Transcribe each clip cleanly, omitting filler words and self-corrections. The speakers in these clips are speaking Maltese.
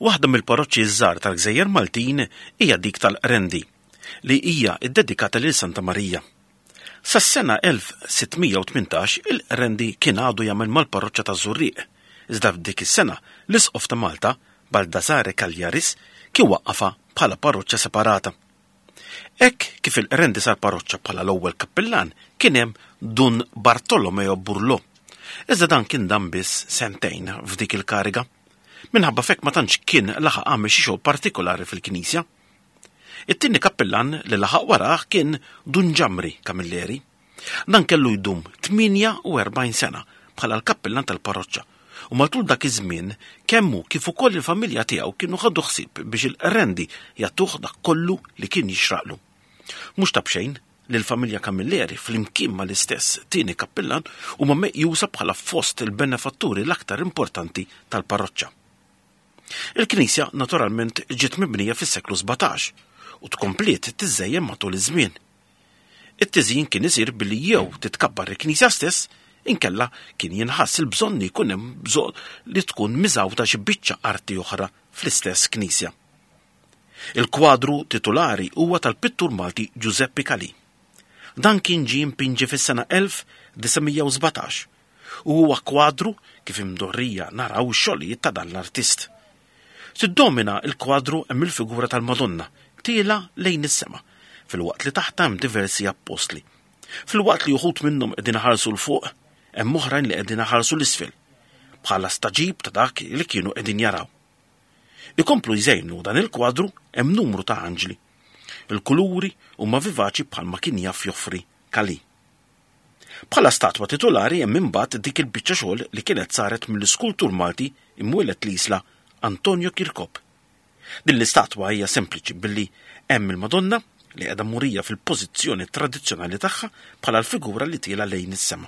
Waħda mill-parroċċi ż-żgħar tal-Gżejjer Maltin hija dik tal-Qrendi, li hija ddedikata lil Santa Marija. Sas-sena 1618 il-Qrendi kien għadu jagħmel mal-parroċċa taż-Żurrieq, iżda f'dik is-sena l-Isqof ta' Malta, Baldassare Cagliaris, kien waqqafha bħala parroċċa separata. Hekk kif il-Qrendi sar parroċċa bħala l-ewwel kappillan kien hemm Dun Bartolomeo Burlò. Iżda dan kien dam biss sentejn f'dik il-kariga. Minħabba f'hekk ma tantx kien laħaq għamel xi xogħol partikolari fil-knisja. It-tieni kappillan li laħaq warah kien Dun Ġamri Camilleri. Dan kellu jdum 48 sena bħala l-kappillan tal-parroċċa u matul dak iż-żmien kemm hu kif ukoll il-familja tiegħu kienu ħadu ħsieb biex il-Qrendi jagħtuh dak kollu li kien jixraqlu. Mhux ta' b'xejn li l-familja Camilleri flimkien mal-istess tieni kappillan huma meqjusa bħala fost il-benefatturi l-aktar importanti tal-parroċċa. Il-knisja naturalment ġiet mibnija fis-seklu 17 u tkompliet tiżżejjen matul iż-żmien. It-tiżjin kien isir billi jew titkabbar il-knisja stess inkella kien jinħass il-bżonn li jkun hemm bżonn li tkun miżgħuda xi biċċa arti oħra fl-istess knisja. Il-kwadru titulari huwa tal-pittur Malti Giuseppe Calì. Dan kien ġie mpinġi fis-sena 1917 u huwa kwadru kif imdorrija naraw ix-xogħlijiet ta' dan l-artist. Tiddomina l-kwadru hemm il-figura tal-Madonna tiela' lejn is-sema, filwaqt li taħtha hemm diversi appostli. Filwaqt li uħud minnhom qegħdin iħarsu 'l fuq, hemm oħrajn li qegħdin iħarsu 'l isfel, bħala stagħġib ta' dak li kienu qegħdin jaraw. Ikomplu jżejnu dan il-kwadru hemm numru ta' anġli. Il-kuluri huma vivaċi bħalma kien jaf joffri Calì. Bħala statwa titulari hemm imbagħad dik il-biċċa xogħol li kienet saret mill-iskultur Malti imwieled l-Isla Antonio Kirkop. Din l-istatwa hija sempliċi billi hemm il-Madonna li qiegħda murija fil-pożizzjoni tradizzjonali tagħha bħala l-figura li tiela' lejn is-sema.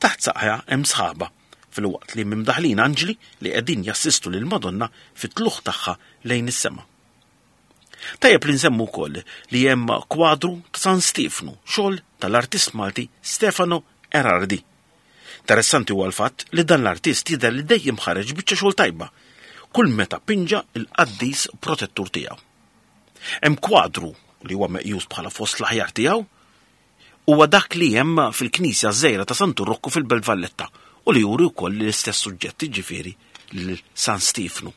Taħt saqajha hemm sħaba, filwaqt li hemm imdaħħlin anġli li qegħdin jassistu lill-Madonna fit-tlugħ tagħha lejn is-sema. Tajjeb li nsemmu wkoll li hemm kwadru ta' San Stiefnu, xogħol tal-artist Malti Stefano Erardi. Interessanti huwa l-fatt li dan l-artist jidher li dejjem ħareġ biċċa xogħol tajba kull meta pinġa l-qaddis protettur tiegħu. Hemm kwadru li huwa meqjus bħala fost l-aħjar tiegħu huwa dak li hemm fil-knisja żgħira ta' Santu Rokku fil-Belt Valletta u li juri wkoll l-istess suġġett jiġifieri lil San Stiefnu.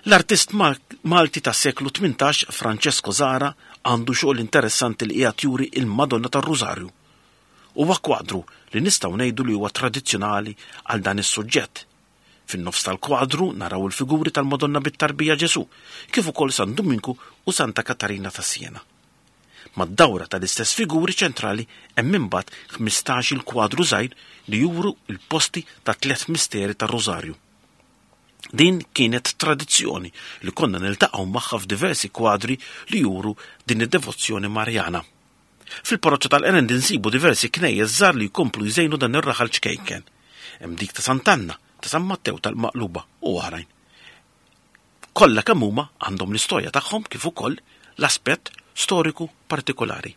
L-artist Malti tas-seklu 18 Francesco Zahra għandu xogħol interessanti li qiegħed juri il-Madonna tar-Rużarju. Huwa kwadru li nistgħu ngħidu li huwa tradizzjonali għal dan is-suġġett. Fin-nofs tal-kwadru naraw il-figuri tal-Madonna bit-tarbija Ġesù, kif ukoll San Duminku u Santa Katarina ta' Siena. Mad-dawra tal-istess figuri ċentrali hemm imbagħad 15-il kwadru żgħir li juru l-posti tat-tlett misteri tar-Rużarju. Din kienet tradizzjoni li konna niltaqgħu magħha f'diversi kwadri li juru din id-devozzjoni Marjana. Fil-parroċċa tal-Qerend insibu diversi knejjes żgħar li jkomplu jżejnu dan ir-raħal ċkejken. Hemm dik ta' Sant'Anna, ta' San Mattew tal-Maqluba u oħrajn. Kollha kemm huma għandhom l-istorja tagħhom kif ukoll l-aspett storiku partikolari.